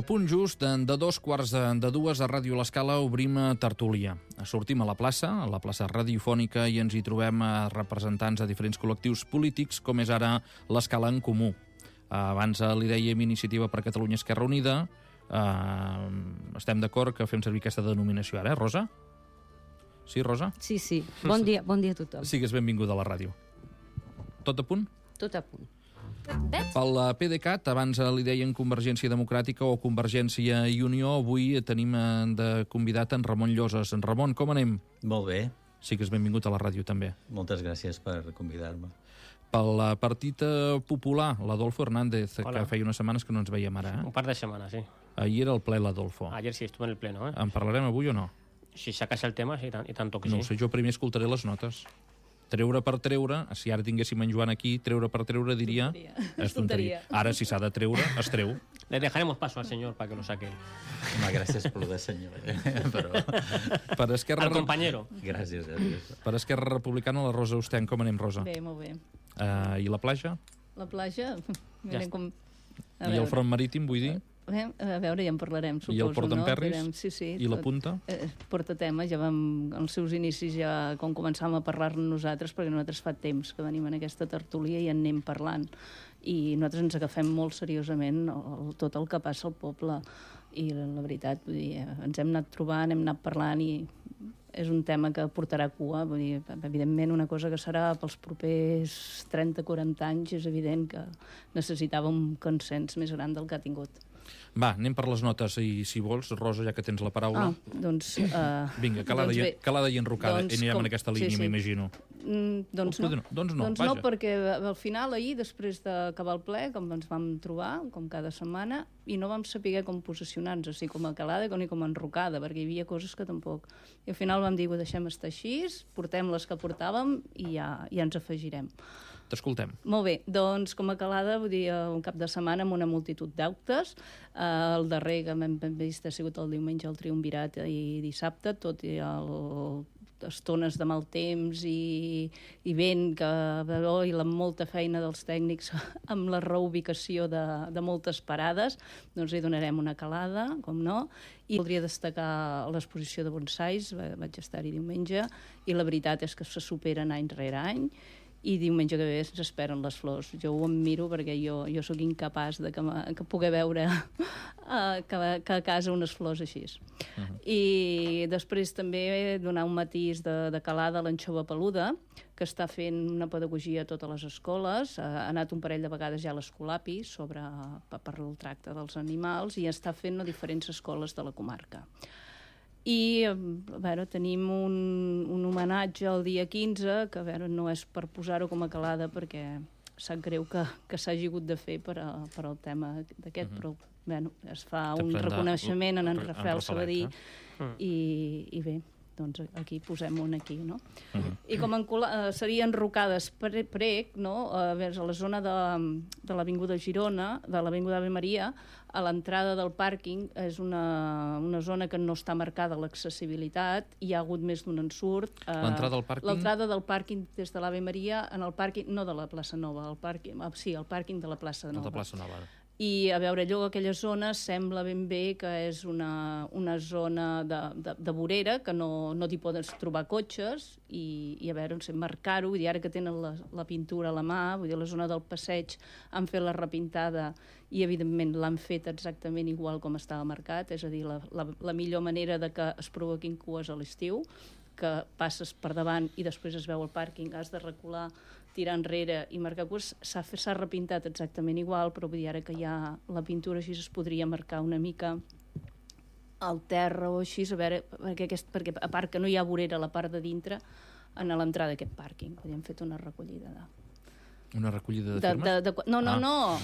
punt just de 2:15 a Ràdio L'Escala obrim tertúlia. Sortim a la plaça radiofònica, i ens hi trobem representants de diferents col·lectius polítics, com és ara l'Escala en Comú. Abans li dèiem Iniciativa per Catalunya Esquerra Unida. Estem d'acord que fem servir aquesta denominació ara, Rosa? Sí, Rosa? Sí. Bon dia a tothom. Sigues benvinguda a la ràdio. Tot a punt? Tot a punt. Pel PDeCAT, abans li deien Convergència Democràtica o Convergència i Unió, avui tenim de convidat en Ramon Lloses. En Ramon, com anem? Molt bé. Sigues benvingut a la ràdio, també. Moltes gràcies per convidar-me. Pel Partit Popular, l'Adolfo Hernández, Hola. que feia unes setmanes que no ens veiem ara. Un par de semanas, sí. Ahir era el ple, l'Adolfo. Ayer sí estuve en el pleno, ¿eh? En parlarem avui o no? Si sacas el tema, sí, y tanto que No sí. ho sé, jo primer escoltaré les notes. Treure per treure, si ara tinguéssim en Joan aquí, treure per treure diria... És tonteria. Ara, si s'ha de treure, es treu. Le dejaremos paso al señor para que lo saque él. Home, gràcies per lo de senyor. Però... Per Esquerra... Al compañero. Gràcies. Per Esquerra Republicana, la Rosa Osten. Com anem, Rosa? Bé, molt bé. I la platja? La platja... Ja Mirem com... I el front marítim, vull dir? A veure, ja en parlarem, suposo. I el Port d'en Perris? Direm, sí, I la punta? Porta tema, ja vam... Els seus inicis ja, com començàvem a parlar-ne nosaltres, perquè nosaltres fa temps que venim en aquesta tertúlia i en anem parlant. I nosaltres ens agafem molt seriosament tot el que passa al poble. I la veritat, vull dir, ens hem anat trobant, hem anat parlant i és un tema que portarà cua. Vull dir, evidentment, una cosa que serà pels propers 30-40 anys, és evident que necessitava un consens més gran del que ha tingut. Va, anem per les notes, i si vols, Rosa, ja que tens la paraula... Doncs... Vinga, calada i enrocada, doncs, anirem en aquesta línia, m'imagino. Doncs no, vaja. No, perquè al final, ahir, després d'acabar el ple, com ens vam trobar, com cada setmana, i no vam saber com posicionar-nos, o sigui, com a calada ni com a enrocada, perquè hi havia coses que tampoc... I al final vam dir, ho deixem estar així, portem les que portàvem i ja ens afegirem. T'escoltem. Molt bé, doncs com a calada, vull dir, un cap de setmana amb una multitud d'actes. El darrer que hem vist ha sigut el diumenge al Triumvirat i dissabte, tot i estones de mal temps i vent i la molta feina dels tècnics amb la reubicació de moltes parades, doncs hi donarem una calada, com no, i voldria destacar l'exposició de bonsais, vaig estar-hi diumenge, i la veritat és que se superen any rere any, i diumenge que ve ens esperen les flors. Jo ho miro perquè jo sóc incapaç de que pugui veure que a casa unes flors així. I després també donar un matís de calada a l'anxova peluda, que està fent una pedagogia a totes les escoles, ha anat un parell de vegades ja a l'Escolapi per el tracte dels animals, i està fent a diferents escoles de la comarca. I a veure, tenim un homenatge el dia 15, que a veure, no és per posar-ho com a calada perquè sap greu que s'hagi hagut de fer per al tema d'aquest, però bueno, es fa un reconeixement en Rafael Sabadí i bé, doncs aquí posem un aquí, no? I com serien enrocades prec, no? A la zona de l'Avinguda Girona, de l'Avinguda Ave Maria, a l'entrada del pàrquing és una zona que no està marcada l'accessibilitat, hi ha hagut més d'un ensurt. L'entrada del pàrquing? L'entrada del pàrquing des de l'Ave Maria, en el pàrquing, no de la plaça Nova, el pàrquing de la plaça Nova. De la plaça Nova. I a veure, allò, aquella zona sembla ben bé que és una zona de vorera, que no t'hi poden trobar cotxes, i a veure, no sé, marcar-ho, i ara que tenen la pintura a la mà, vull dir, la zona del passeig han fet la repintada i evidentment l'han fet exactament igual com estava marcat, és a dir, la millor manera de que es provoquin cues a l'estiu, que passes per davant i després es veu el pàrquing, has de recular, tirar enrere i marcar cues, s'ha repintat exactament igual, però vull dir, ara que hi ha la pintura així es podria marcar una mica al terra o així, a veure, perquè a part que no hi ha vorera a la part de dintre, a l'entrada d'aquest pàrquing, hem fet una recollida Una recollida de firmes? No, no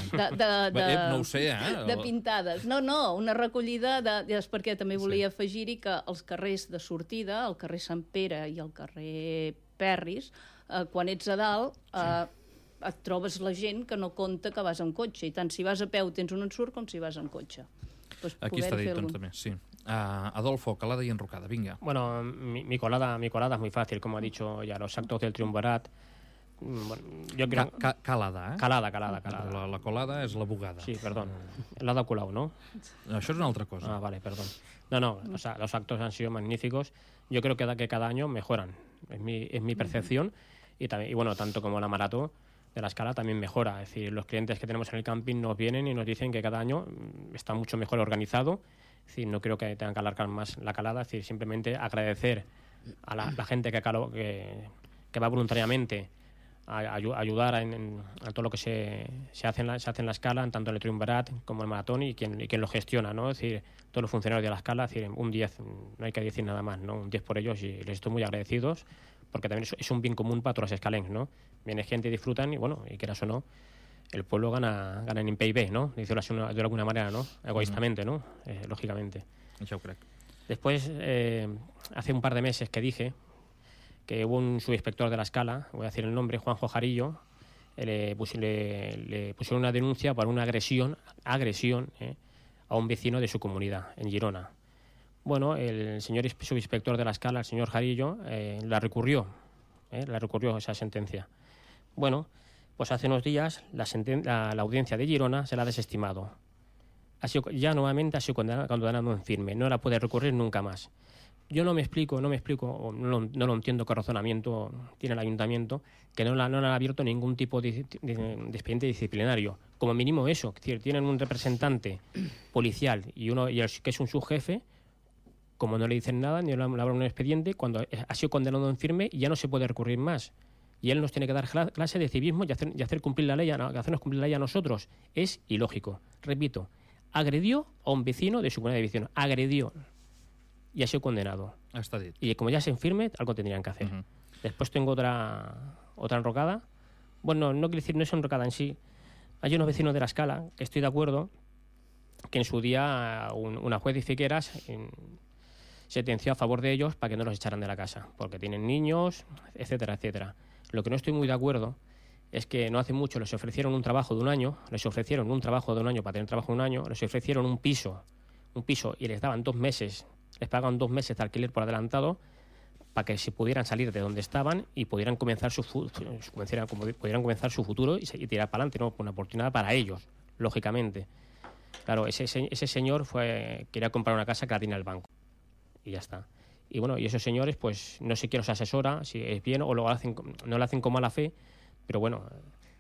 ho sé, de pintades. No, una recollida perquè també volia afegir-hi que els carrers de sortida, el carrer Sant Pere i el carrer Perris, quan ets a dalt et trobes la gent que no compta que vas amb cotxe, i tant si vas a peu tens un ensurt com si vas amb cotxe. Aquí està dit, doncs, també, sí. Adolfo, calada y enrocada, venga. Bueno, mi colada es muy fácil, como ha dicho ya, los actos del Triunvirat. Bueno, yo creo... Calada, eh? Calada. La colada és la bugada. Sí, perdón. El lado Colau, ¿no? Això és una altra cosa. Ah, vale, perdón. No, o sea, los actos han sido magníficos. Yo creo que cada año mejoran. Es mi percepción. Y bueno, tanto como la maratón de la Escala también mejora. Es decir, los clientes que tenemos en el camping nos vienen y nos dicen que cada año está mucho mejor organizado. Es decir, no creo que tengan que alargar más la calada. Es decir, simplemente agradecer a la gente que va voluntariamente a ayudar a todo lo que se hace en la Escala, tanto en el Triunvirat como el maratón, y quien lo gestiona, ¿no? Es decir, todos los funcionarios de la Escala, es decir, un 10, no hay que decir nada más, ¿no? Un 10 por ellos, y les estoy muy agradecidos, porque también es un bien común para todos los escalencs, ¿no? Viene gente y disfrutan, y bueno, y quieras o no, el pueblo gana en PIB, ¿no? Decirlo así de alguna manera, ¿no? Egoístamente, ¿no? Lógicamente. Això ho crec. Después, hace un par de meses que dije que hubo un subinspector de la Escala, voy a decir el nombre, Juanjo Jarillo, le pusieron una denuncia por una agresión a un vecino de su comunidad, en Girona. Bueno, el señor subinspector de la Escala, el señor Jarillo, la recurrió esa sentencia. Bueno, pues hace unos días la audiencia de Girona se la ha desestimado. Nuevamente ha sido condenado en firme, no la puede recurrir nunca más. Yo no me explico, o no lo entiendo qué razonamiento tiene el ayuntamiento, que no le han abierto ningún tipo de expediente disciplinario. Como mínimo eso, es decir, tienen un representante policial y que es un subjefe, como no le dicen nada, ni le abren un expediente, cuando ha sido condenado en firme y ya no se puede recurrir más. Y él nos tiene que dar clase de civismo y hacer cumplir la ley, hacernos cumplir la ley a nosotros. Es ilógico. Repito, agredió a un vecino de su comunidad de vecinos. Agredió. Y ha sido condenado. Està dit. Y como ya se firme, algo tendrían que hacer. Después tengo otra enrocada. Bueno, no quiero decir, no es enrocada en sí. Hay unos vecinos de la Escala que estoy de acuerdo que en su día una juez de Figueras sentenció a favor de ellos para que no los echaran de la casa, porque tienen niños, etcétera, etcétera. Lo que no estoy muy de acuerdo es que no hace mucho les ofrecieron un trabajo de un año, para tener trabajo de un año, les ofrecieron un piso y les daban 2 meses. Les pagaban 2 meses de alquiler por adelantado para que se pudieran salir de donde estaban y pudieran comenzar su futuro y tirar para adelante, ¿no? Una oportunidad para ellos, lógicamente. Claro, ese señor quería comprar una casa que la tiene el banco y ya está. Y bueno, y esos señores, pues no sé quién los asesora, si es bien o no lo hacen con mala fe, pero bueno,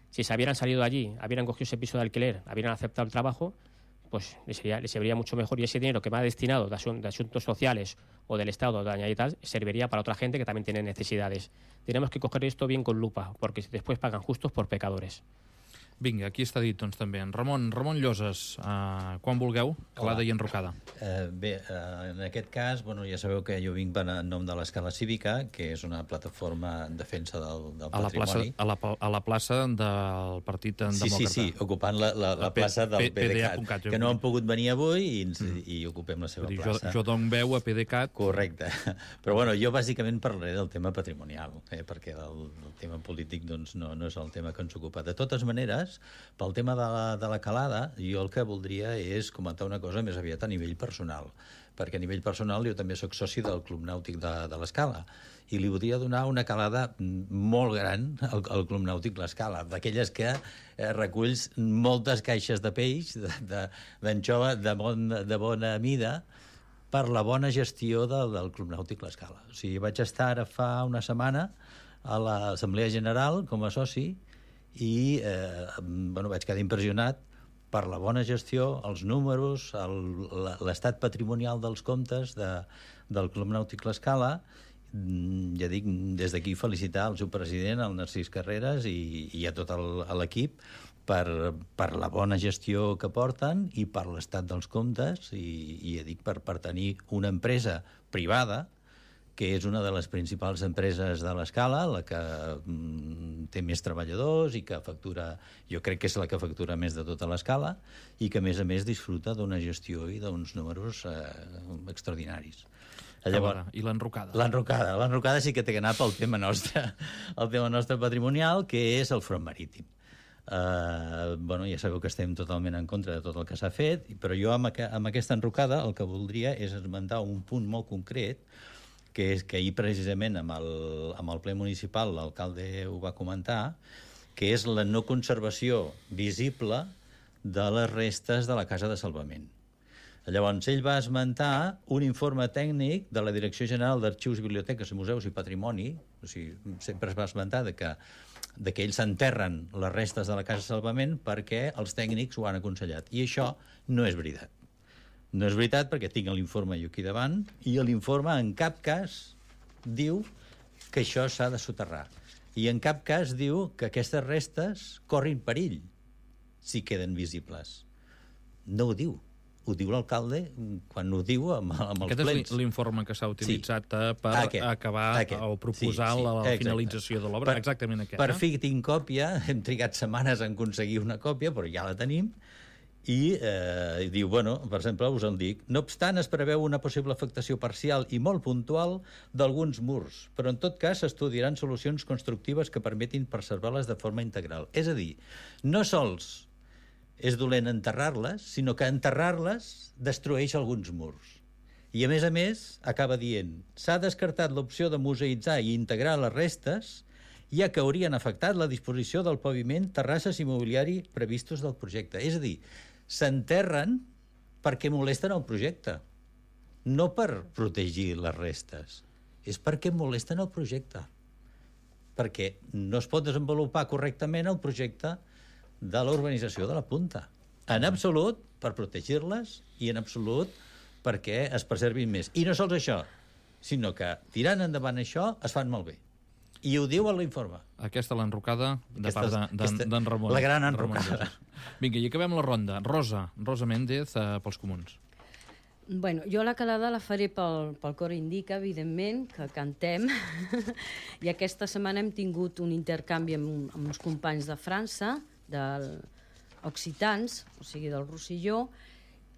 si se hubieran salido de allí, hubieran cogido ese piso de alquiler, hubieran aceptado el trabajo, pues les serviría mucho mejor, y ese dinero que va destinado de asuntos sociales o del Estado de añadir tal, serviría para otra gente que también tiene necesidades. Tenemos que coger esto bien con lupa, porque después pagan justos por pecadores. Vinga, aquí està dit, doncs, també. Ramon Lloses, quan vulgueu, calada i enrocada. En aquest cas, ja sabeu que jo vinc en nom de l'Escala Cívica, que és una plataforma en defensa del patrimoni. A la plaça del Partit Demòcrata. Sí, ocupant la plaça del PDeCAT, que no han pogut venir avui i ocupem la seva plaça. Jo dono veu a PDeCAT. Correcte. Però jo bàsicament parlaré del tema patrimonial, perquè el tema polític no és el tema que ens ocupa. De totes maneres, pel tema de la calada, jo el que voldria és comentar una cosa més aviat a nivell personal, perquè a nivell personal jo també sóc soci del Club Nàutic de l'Escala, i li voldria donar una calada molt gran al Club Nàutic l'Escala, d'aquelles que reculls moltes caixes de peix, d'anxova de bona mida, per la bona gestió del Club Nàutic l'Escala. O sigui, vaig estar ara fa una setmana a l'Assemblea General com a soci, i vaig quedar impressionat per la bona gestió, els números, l'estat patrimonial dels comptes del Club Nàutic l'Escala. Ja dic, des d'aquí felicitar el seu president, el Narcís Carreras, i a tot l'equip per la bona gestió que porten i per l'estat dels comptes, i ja dic, per tenir una empresa privada que és una de les principals empreses de l'Escala, la que té més treballadors i que factura, jo crec que és la que factura més de tota l'Escala, i que a més disfruta d'una gestió i d'uns números extraordinaris. I l'enrocada? L'enrocada sí que té que anar pel tema nostre, el tema nostre patrimonial, que és el front marítim. Ja sabeu que estem totalment en contra de tot el que s'ha fet, però jo amb aquesta enrocada el que voldria és esmentar un punt molt concret, que és que ahir precisament amb el ple municipal l'alcalde ho va comentar, que és la no conservació visible de les restes de la Casa de Salvament. Llavors, ell va esmentar un informe tècnic de la Direcció General d'Arxius, Biblioteques, Museus i Patrimoni, o sigui, sempre es va esmentar que ells s'enterren les restes de la Casa de Salvament perquè els tècnics ho han aconsellat. I això no és veritat. No és veritat perquè tinc l'informe jo aquí davant i l'informe en cap cas diu que això s'ha de soterrar. I en cap cas diu que aquestes restes corrin perill si queden visibles. No ho diu. Ho diu l'alcalde quan ho diu amb els plens. Aquest és l'informe que s'ha utilitzat per acabar o proposar la finalització de l'obra. Exactament aquest. Per fi tinc còpia, hem trigat setmanes en aconseguir una còpia, però ja la tenim, i diu, bueno, per exemple, us en dic, no obstant es preveu una possible afectació parcial i molt puntual d'alguns murs, però en tot cas s'estudiaran solucions constructives que permetin preservar-les de forma integral. És a dir, no sols és dolent enterrar-les, sinó que enterrar-les destrueix alguns murs. I, a més, acaba dient s'ha descartat l'opció de museïtzar i integrar les restes, ja que haurien afectat la disposició del paviment, terrasses i mobiliari previstos del projecte. És a dir, s'enterren perquè molesten el projecte, no per protegir les restes. És perquè molesten el projecte. Perquè no es pot desenvolupar correctament el projecte de la urbanització de la Punta. En absolut per protegir-les i en absolut perquè es preservin més. I no sols això, sinó que tirant endavant això es fan malbé. I ho diu a l'informe. Aquesta l'enrocada de part d'en Ramon. La gran enrocada. Vinga, i acabem la ronda. Rosa Méndez, pels Comuns. Bueno, jo la calada la faré pel Cor Indica, evidentment, que cantem. I aquesta setmana hem tingut un intercanvi amb uns companys de França, occitans, o sigui, del Rosselló,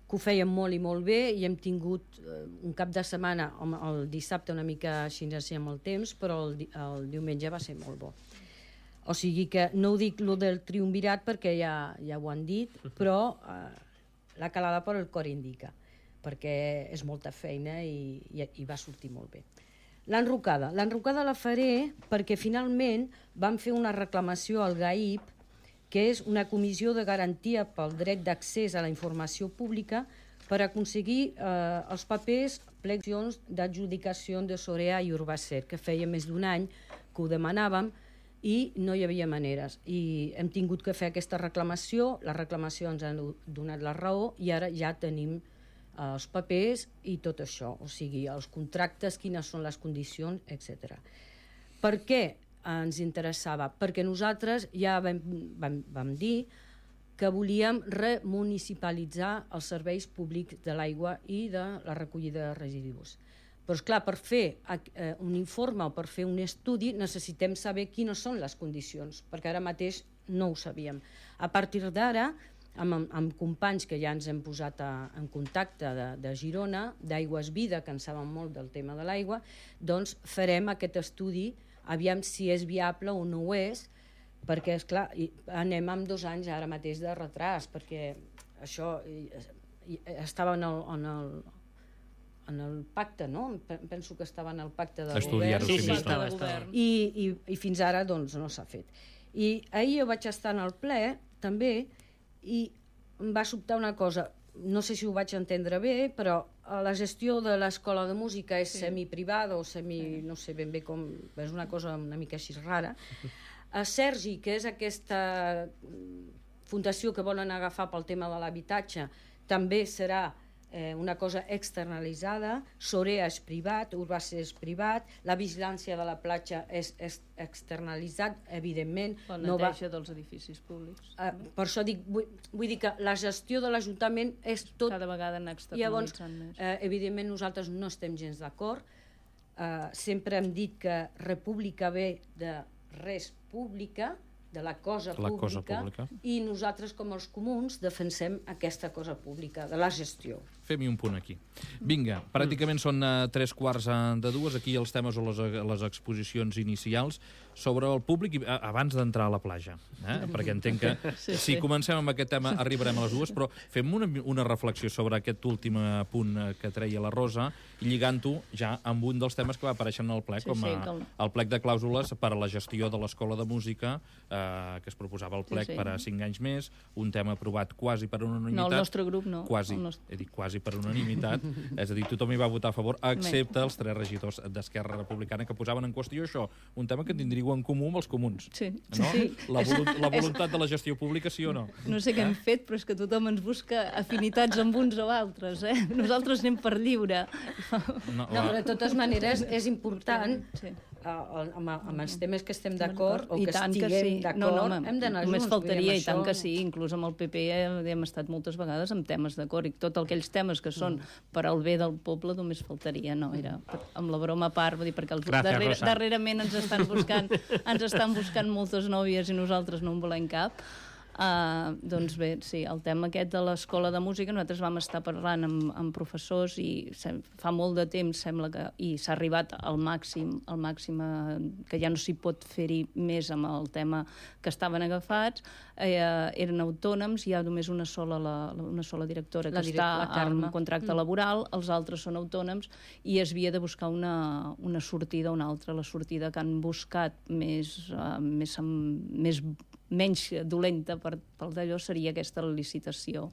que ho feien molt i molt bé, i hem tingut un cap de setmana, el dissabte una mica així amb el temps, però el diumenge va ser molt bo. O sigui que no ho dic lo del triumvirat perquè ja ho han dit, però la calada per el Cor Indica, perquè és molta feina i va sortir molt bé. L'enrocada la faré perquè finalment vam fer una reclamació al GAIP, que és una comissió de garantia pel dret d'accés a la informació pública per aconseguir els papers pleccions d'adjudicació de Sorea i Urbacer, que feia més d'un any que ho demanàvem i no hi havia maneres. I hem tingut que fer aquesta reclamació, la reclamació ens ha donat la raó i ara ja tenim els papers i tot això, o sigui, els contractes, quines són les condicions, etc. Per què ens interessava? Perquè nosaltres ja vam dir que volíem remunicipalitzar els serveis públics de l'aigua i de la recollida de residus. Però, esclar, per fer un informe o per fer un estudi necessitem saber quines són les condicions, perquè ara mateix no ho sabíem. A partir d'ara, amb companys que ja ens hem posat en contacte de Girona, d'Aigües Vida, que en saben molt del tema de l'aigua, doncs farem aquest estudi, aviam si és viable o no ho és, perquè, esclar, anem amb 2 anys ara mateix de retras, perquè això estava en el pacte, no? Penso que estava en el pacte de Estudiar-ho, govern. I fins ara doncs no s'ha fet. I ahir jo vaig estar en el ple, també, i em va sobtar una cosa, no sé si ho vaig entendre bé, però la gestió de l'escola de música és semiprivada o no sé ben bé com, és una cosa una mica així rara. Sergi, que és aquesta fundació que volen agafar pel tema de l'habitatge, també serà una cosa externalitzada, Sorea és privat, Urbacer és privat, la vigilància de la platja és externalitzat, evidentment. La neteja dels edificis públics. Per això dic, vull dir que la gestió de l'Ajuntament és tot... Cada vegada anar externalitzant més. Evidentment nosaltres no estem gens d'acord. Sempre hem dit que república ve de res pública, de la cosa pública, i nosaltres com els comuns defensem aquesta cosa pública, de la gestió. fem-hi un punt aquí. Vinga, pràcticament són 3:15. Aquí els temes o les exposicions inicials sobre el públic abans d'entrar a la platja. Perquè entenc que si comencem amb aquest tema arribarem a les 2, però fem una reflexió sobre aquest últim punt que treia la Rosa i lligant-ho ja amb un dels temes que va aparèixer en el plec, com el plec de clàusules per a la gestió de l'Escola de Música, que es proposava el plec per a 5 anys més, un tema aprovat quasi per unanimitat. No, el nostre grup no. Quasi, he dit quasi per unanimitat, és a dir, tothom hi va votar a favor, excepte els 3 regidors d'Esquerra Republicana que posaven en qüestió això, un tema que tindríeu en comú amb els comuns. Sí. No? La voluntat de la gestió pública, sí o no? No sé què hem fet, però és que tothom ens busca afinitats amb uns o altres, Nosaltres anem per lliure. No, però de totes maneres és important amb els temes que estem d'acord o que estiguem d'acord, hem d'anar junts. Només faltaria, i tant que sí, inclús amb el PP hem estat moltes vegades amb temes d'acord, i tots aquells temes que són per al bé del poble només faltaria, no, era amb la broma a part, vull dir, perquè darrerament ens estan buscant moltes nòvies i nosaltres no en volem cap. Doncs bé, sí, el tema aquest de l'Escola de Música, nosaltres vam estar parlant amb professors i fa molt de temps sembla que s'ha arribat al màxim que ja no s'hi pot fer-hi més amb el tema que estaven agafats, eren autònoms, hi ha només una sola directora que està amb contracte laboral, els altres són autònoms i es havia de buscar una sortida, una altra, la sortida que han buscat menys dolenta pel d'allò seria aquesta licitació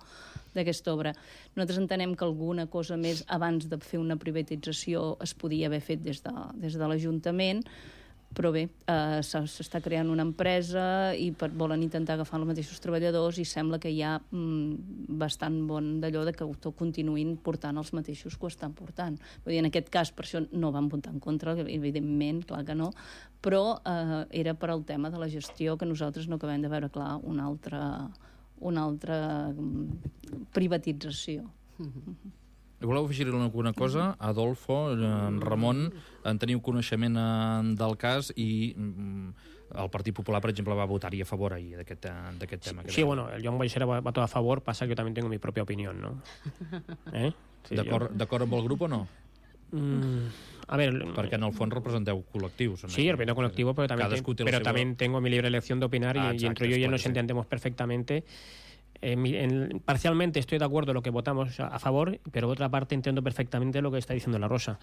d'aquesta obra. Nosaltres entenem que alguna cosa més abans de fer una privatització es podia haver fet des de l'Ajuntament, però bé, s'està creant una empresa i volen intentar agafar els mateixos treballadors i sembla que hi ha bastant bon d'allò de que continuïn portant els mateixos que ho estan portant. Vull dir, en aquest cas, per això no van votar en contra, evidentment, clar que no, però era per al tema de la gestió que nosaltres no acabem de veure clar una altra privatització. Voleu afegir alguna cosa? Adolfo, Ramon, en teniu coneixement del cas i el Partit Popular, per exemple, va votar-hi a favor ahir d'aquest tema. Sí, bueno, el Joan Baixera va votar a favor, pasa que yo también tengo mi propia opinión, ¿no? Sí, D'acord amb el grup o no? A ver, perquè en el fons representeu col·lectius. Sí, represento colectivo, pero también tengo mi libre elección de opinar y entre yo y él nos entendemos perfectamente. Parcialmente estoy de acuerdo en lo que votamos a favor, pero por otra parte entiendo perfectamente lo que está diciendo la Rosa.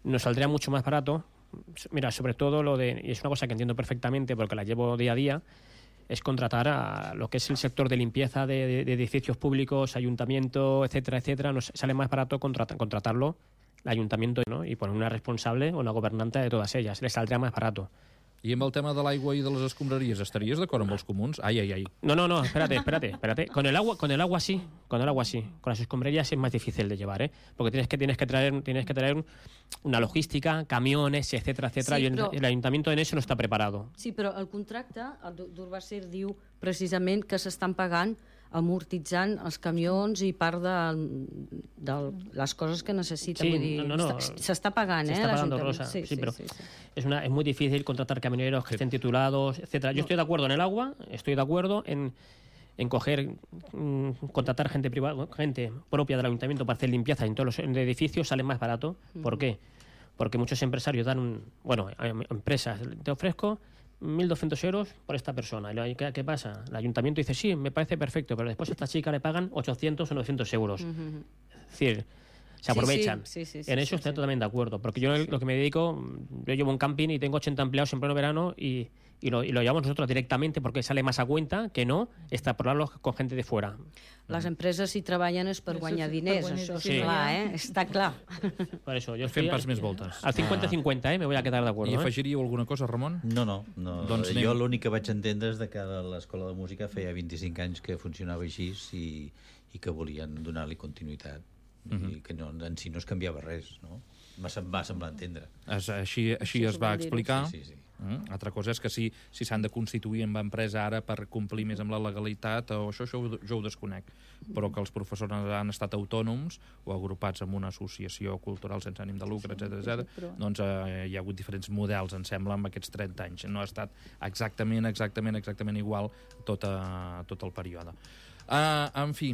Nos saldría mucho más barato, mira, sobre todo y es una cosa que entiendo perfectamente porque la llevo día a día, es contratar a lo que es el sector de limpieza de edificios públicos, ayuntamiento, etcétera, etcétera. Nos sale más barato contratarlo el ayuntamiento, ¿no? Y poner una responsable o una gobernante de todas ellas. Les saldría más barato. I amb el tema de l'aigua i de les escombraries, estaries d'acord amb els comuns? Ai. No, espérate. Con el agua sí. Con las escombrarías es más difícil de llevar, porque tienes que traer una logística, camiones, etcétera. Sí, i el ayuntamiento en eso no està preparado. Sí, però el contracte, el d'Urbacer diu precisament que s'estan pagant amortitzant els camions i part de les cosas que necesita. Sí, vull dir, s'està pagant, se está pagando, Rosa. Sí, pero es muy difícil contratar camioneros que estén titulados, etcétera. Yo estoy de acuerdo en el agua, estoy de acuerdo en contratar gente privada, gente propia del ayuntamiento para hacer limpieza en todos los edificios, sale más barato. ¿Por qué? Porque muchos empresarios dan empresas, te ofrezco 1.200 euros por esta persona. ¿Y qué pasa? El ayuntamiento dice, sí, me parece perfecto, pero después a esta chica le pagan 800 o 900 euros. Es decir, se aprovechan. En eso estoy totalmente de acuerdo, porque yo lo que me dedico, yo llevo un camping y tengo 80 empleados en pleno verano y lo llevamos nosotros directamente porque sale más a cuenta que no extrapolarlo con gente de fuera. Les empreses hi treballen és per guanyar diners, això és clar, està clar. Per això, jo fem pas més voltes. Al 50-50, me voy a quedar de acuerdo. I afegiríeu alguna cosa, Ramon? No. Doncs jo l'únic que vaig entendre és que l'Escola de Música feia 25 anys que funcionava així i que volien donar-li continuïtat. I que en si no es canviava res, no? Va semblar entendre. Així es va explicar. Sí. Altra cosa és que si s'han de constituir amb empresa ara per complir més amb la legalitat, o això jo ho desconec, però que els professors han estat autònoms o agrupats en una associació cultural sense ànim de lucre, etc. Doncs hi ha hagut diferents models, em sembla, en aquests 30 anys. No ha estat exactament igual tot el període. En fi,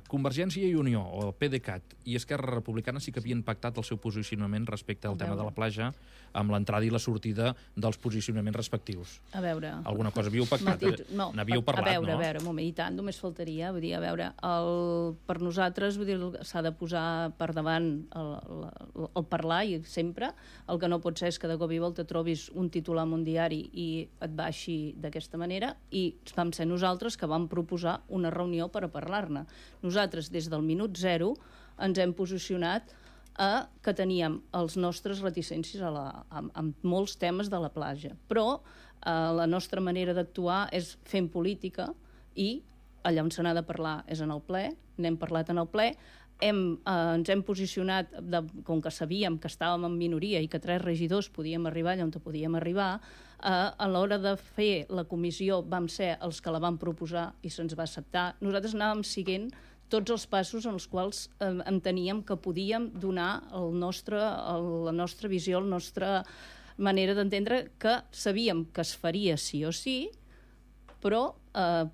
Convergència i Unió, o PDeCAT, i Esquerra Republicana sí que havien pactat el seu posicionament respecte al tema de la platja amb l'entrada i la sortida dels posicionaments respectius. A veure... Alguna cosa havíeu pactat? N'havíeu parlat, no? A veure, un moment, i tant, només faltaria. Vull dir, a veure, per nosaltres s'ha de posar per davant el parlar, i sempre el que no pot ser és que de cop i volta trobis un titular en un diari i et baixi d'aquesta manera, i vam ser nosaltres que vam proposar una reunió per a parlar-ne. Nosaltres, des del minut zero, ens hem posicionat que teníem els nostres reticències amb molts temes de la platja. Però la nostra manera d'actuar és fent política, i allà on se n'ha de parlar és en el ple, n'hem parlat en el ple, ens hem posicionat, com que sabíem que estàvem en minoria i que 3 regidors podíem arribar allà on podíem arribar, a l'hora de fer la comissió vam ser els que la vam proposar i se'ns va acceptar. Nosaltres anàvem seguint tots els passos en els quals enteníem que podíem donar la nostra visió, la nostra manera d'entendre, que sabíem que es faria sí o sí, però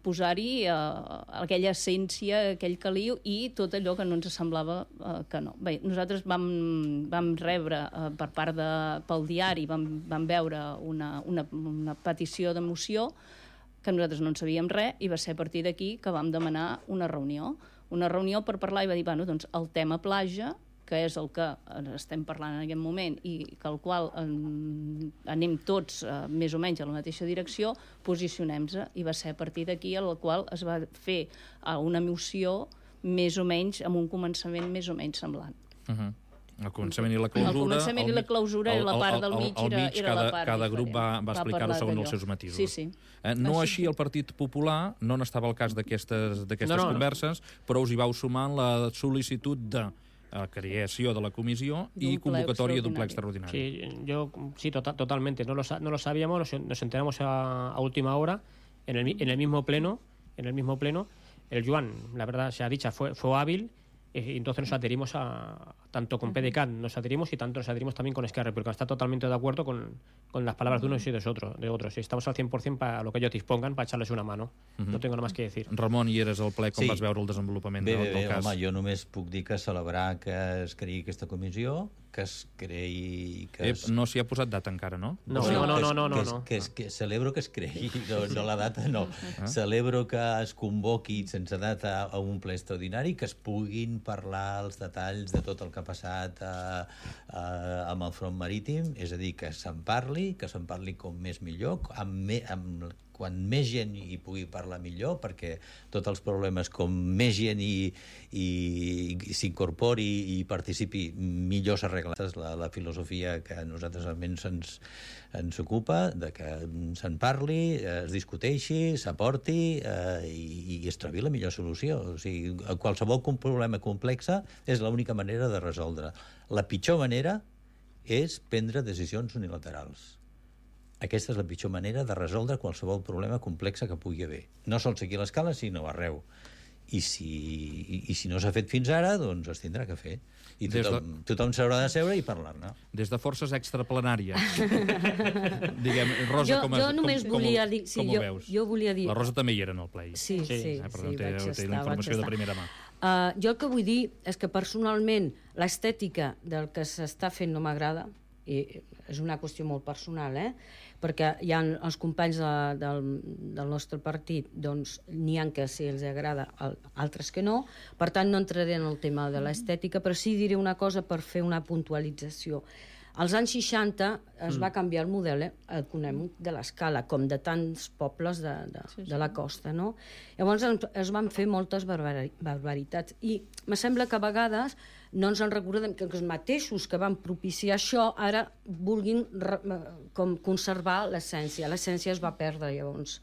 posar-hi aquella essència, aquell caliu i tot allò que no ens semblava que no. Bé, nosaltres vam rebre per part pel diari, vam veure una petició de moció que nosaltres no en sabíem res, i va ser a partir d'aquí que vam demanar una reunió per parlar, i va dir, bueno, doncs el tema platja, que és el que estem parlant en aquest moment i que al qual anem tots més o menys a la mateixa direcció, posicionem-se, i va ser a partir d'aquí el qual es va fer una moció més o menys amb un començament més o menys semblant. El començament i la clausura... El començament i la clausura, i la part del mig era la part cada grup va explicar-ho segons els seus matisos. Sí. No així el Partit Popular, no n'estava al cas d'aquestes converses, però us hi vau sumar en la sol·licitud de creació de la comissió y convocatoria de un ple extraordinario. Sí, totalmente. No lo sabíamos, nos enteramos a última hora en el mismo pleno. El Joan, la verdad sea dicha, fue hábil. Y entonces nos adherimos tanto con PDeCAT nos adherimos, y tanto nos adherimos también con Esquerra, porque está totalmente de acuerdo con las palabras de unos y de otros. Y estamos al 100% para lo que ellos dispongan, para echarles una mano. No tengo nada más que decir. Ramon, hi eres al ple, com vas veure el desenvolupament del cas? Home, jo només puc dir que celebrar que es creï aquesta comissió, que es creï... No s'hi ha posat data encara, no? No. Que celebro que es creï, no la data no. Celebro que es convoqui sense data a un ple extraordinari, que es puguin parlar els detalls de tot el que ha passat amb el front marítim, és a dir, que se'n parli com més millor, quan més gent hi pugui parlar millor, perquè tots els problemes, com més gent s'incorpori i participi, millor s'arregla. És la filosofia que a nosaltres almenys ens ocupa, de que se'n parli, es discuteixi, s'aporti i es trobi la millor solució. O sigui, qualsevol problema complex és l'única manera de resoldre. La pitjor manera és prendre decisions unilaterals. Aquesta és la pitjor manera de resoldre qualsevol problema complex que pugui haver. No sols aquí a l'Escala, sinó arreu. I si no s'ha fet fins ara, doncs es tindrà que fer. I tothom s'haurà de seure i parlar-ne. Des de forces extraplanàries. Diguem, Rosa, com ho veus? Jo volia dir... La Rosa també hi era en el ple. Sí, té la informació de primera mà. Jo el que vull dir és que personalment l'estètica del que s'està fent no m'agrada, i és una qüestió molt personal, perquè hi ha els companys del nostre partit, doncs n'hi ha que sí els agrada, altres que no, per tant no entraré en el tema de l'estètica, però sí diré una cosa per fer una puntualització. Als anys 60 es va canviar el model econòmic de l'Escala, com de tants pobles de la costa, no? Llavors es van fer moltes barbaritats, i me sembla que a vegades no ens en recordem que els mateixos que van propiciar això ara vulguin conservar l'essència. L'essència es va perdre llavors.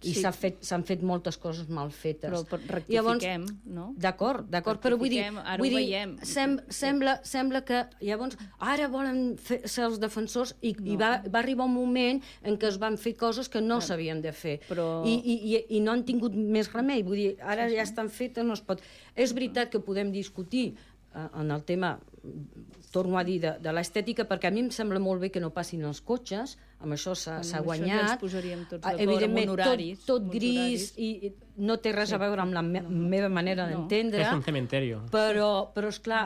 I s'han fet moltes coses mal fetes. Però rectifiquem, no? D'acord, però vull dir... Ara ho veiem. Sembla que llavors ara volen ser els defensors i va arribar un moment en què es van fer coses que no s'havien de fer. I no han tingut més remei. Vull dir, ara ja estan fetes, no es pot... És veritat que podem discutir en el tema, torno a dir, de l'estètica, perquè a mi em sembla molt bé que no passin els cotxes, amb això s'ha guanyat. Això ja ens posaríem tots d'acord, evidentment, amb horaris. tot gris i no té res a veure amb la meva manera d'entendre. És un cementerio. Però esclar,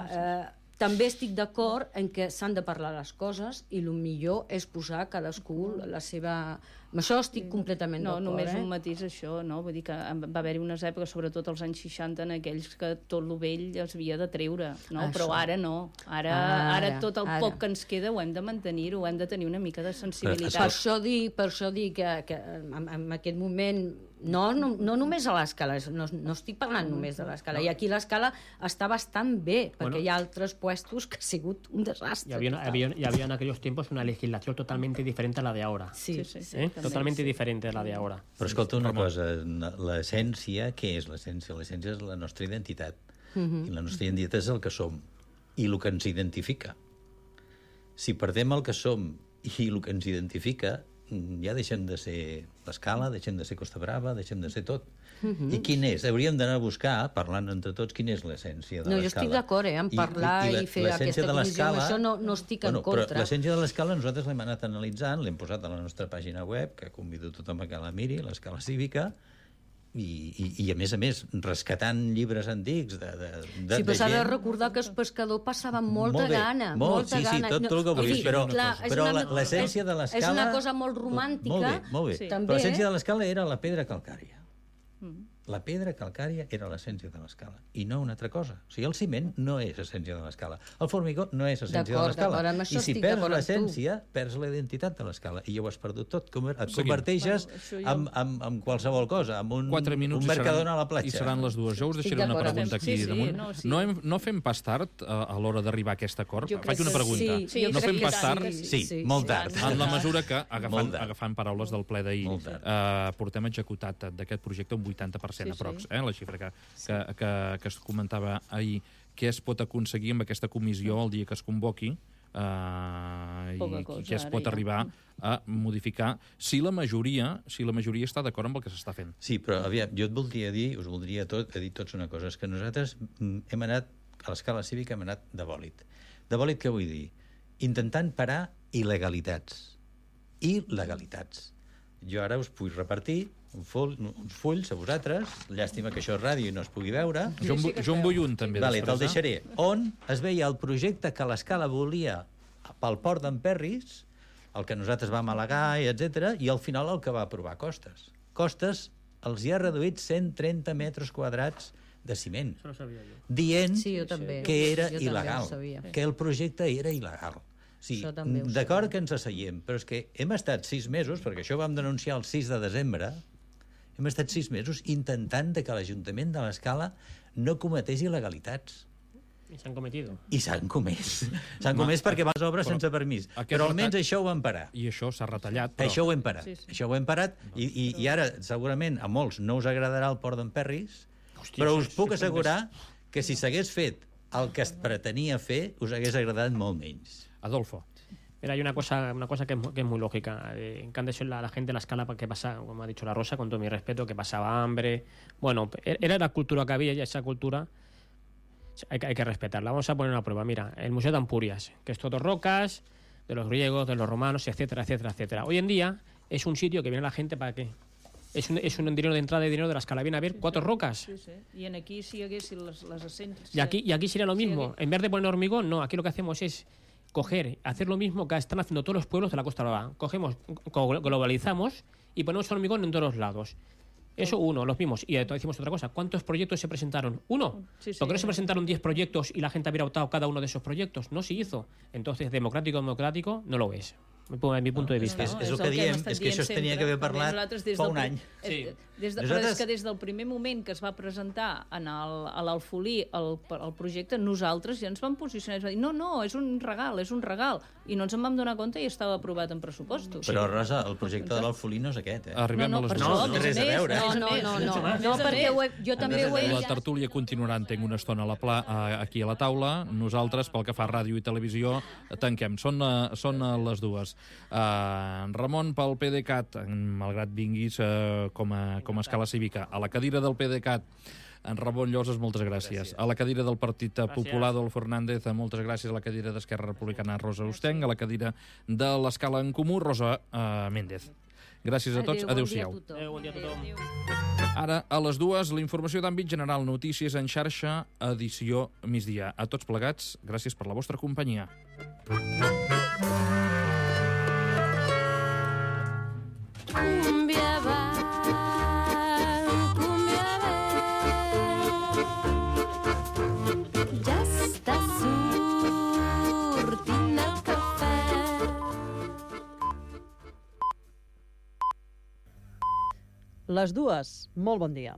també estic d'acord en que s'han de parlar les coses i el millor és posar cadascú la seva... Amb això estic completament d'acord. No, només un matís això, no? Vull dir que va haver-hi unes èpoques, sobretot als anys 60, en aquells que tot lo vell es havia de treure, no? Això. Però ara no. Ara tot el poc que ens queda ho hem de mantenir-ho, hem de tenir una mica de sensibilitat. Per això dic que en aquest moment no només a l'Escala, no estic parlant només de l'Escala, i aquí l'Escala està bastant bé, perquè hi ha altres puestos que ha sigut un desastre. Y había en aquellos tiempos una legislación totalmente diferente a la de ahora. Sí. Totalmente diferente a la de ahora. Però escolta una cosa, l'essència, què és l'essència? L'essència és la nostra identitat. I la nostra identitat és el que som i el que ens identifica. Si perdem el que som i el que ens identifica, ja deixem de ser l'Escala, deixem de ser Costa Brava, deixem de ser tot. I quin és? Hauríem d'anar a buscar, parlant entre tots, quina és l'essència de l'Escala. No, jo estic d'acord, en parlar i fer aquesta comissió, amb això no estic en contra. Però l'essència de l'Escala nosaltres l'hem anat analitzant, l'hem posat a la nostra pàgina web, que convido tothom a que la miri, l'Escala Cívica, i a més, rescatant llibres antics de sí, però s'ha de recordar que els pescadors passaven molta gana. Sí, tot el que vulguis, però l'essència de l'Escala... És una cosa molt romàntica. Molt bé. Però l'essència de l'Escala era la pedra calcària. La pedra calcària era l'essència de l'Escala, i no una altra cosa. O sigui, el ciment no és essència de l'Escala. El formigó no és essència de l'Escala. I si perds l'essència, perds la identitat de l'Escala. I ja ho has perdut tot. Et converteixes en qualsevol cosa, en un mercadona a la platja. I seran les dues. Jo us deixaré una pregunta aquí damunt. No fem pas tard a l'hora d'arribar a aquest acord? Faig una pregunta. No fem pas tard? Sí, molt tard. En la mesura que, agafant paraules del ple d'ahir, portem executat d'aquest projecte un 80%. Aprox, la xifra que es comentava ahir, què es pot aconseguir amb aquesta comissió el dia que es convoqui i què es pot arribar a modificar si la majoria està d'acord amb el que s'està fent. Sí, però aviam, jo us voldria dir tots una cosa, és que nosaltres hem anat, a l'Escala Cívica hem anat de bòlit. De bòlit què vull dir? Intentant parar il·legalitats. Jo ara us vull repartir uns fulls a vosaltres, llàstima que això és ràdio i no es pugui veure. Jo en vull un, també. Vale, te'l deixaré. On es veia el projecte que l'Escala volia pel port d'Emperris, el que nosaltres vam al·legar, etc., i al final el que va aprovar Costes. Costes els hi ha reduït 130 metres quadrats de ciment, dient que era il·legal, que el projecte era il·legal. Sí, d'acord que ens asseiem, però és que hem estat 6 mesos, perquè això ho vam denunciar el 6 de desembre, hem estat 6 mesos intentant que l'Ajuntament de l'Escala no cometés il·legalitats. I s'han cometido. I s'han comès. S'han comès perquè vas obres sense permís. Però almenys això ho hem parat. I això s'ha retallat. Això ho hem parat. Això ho hem parat i ara segurament a molts no us agradarà el port d'Emperris, però us puc assegurar que si s'hagués fet el que es pretenia fer, us hagués agradat molt menys. Adolfo. Mira, hay una cosa que es muy lógica. En Candes la gente en la Escala, que pasa, como ha dicho la Rosa, con todo mi respeto, que pasaba hambre. Bueno, era la cultura que había y esa cultura hay que respetarla. Vamos a poner una prueba. Mira, el Museo de Ampurias, que es todo rocas, de los griegos, de los romanos, etcétera, etcétera, etcétera. Hoy en día es un sitio que viene la gente para qué. Es un dinero de entrada y dinero de la Escala. Viene a ver 4 rocas. Sí. Y en aquí si haguessin les essències... Y aquí sería lo mismo. En vez de poner hormigón, no. Aquí lo que hacemos es hacer lo mismo que están haciendo todos los pueblos de la Costa Brava. Cogemos, globalizamos y ponemos hormigón en todos los lados. Eso uno, los mismos. Y decimos otra cosa. ¿Cuántos proyectos se presentaron? Uno. ¿Por qué no se presentaron 10 proyectos y la gente hubiera votado cada uno de esos proyectos? No se hizo. Entonces, democrático no lo es. Mi punto de vista. És el que diem, és que això es tenia que haver parlat fa un any. Però és que des del primer moment que es va presentar a l'Alfolí el projecte, nosaltres ja ens vam posicionar i vam dir, no, és un regal, i no ens en vam donar compte i estava aprovat en pressupostos. Però, Rosa, el projecte de l'Alfolí no és aquest, Arribem a les dues. No té res a veure. No, perquè jo també ho he La tertúlia continuarà, entenc, una estona aquí a la taula. Nosaltres, pel que fa a ràdio i televisió, tanquem. Són les dues. Ramon, pel PDeCAT, malgrat vinguis com a escala cívica, a la cadira del PDeCAT, en Ramon Lloses, moltes gràcies. A la cadira del Partit Popular, Adolfo Hernández, moltes gràcies. A la cadira d'Esquerra Republicana, Rosa Ostenc. A la cadira de l'Escala en Comú, Rosa Méndez. Gràcies a tots. Adéu-siau. Bon dia a tothom. Ara, a les 2, la informació d'àmbit general, notícies en xarxa, edició migdia. A tots plegats, gràcies per la vostra companyia. Les 2, molt bon dia.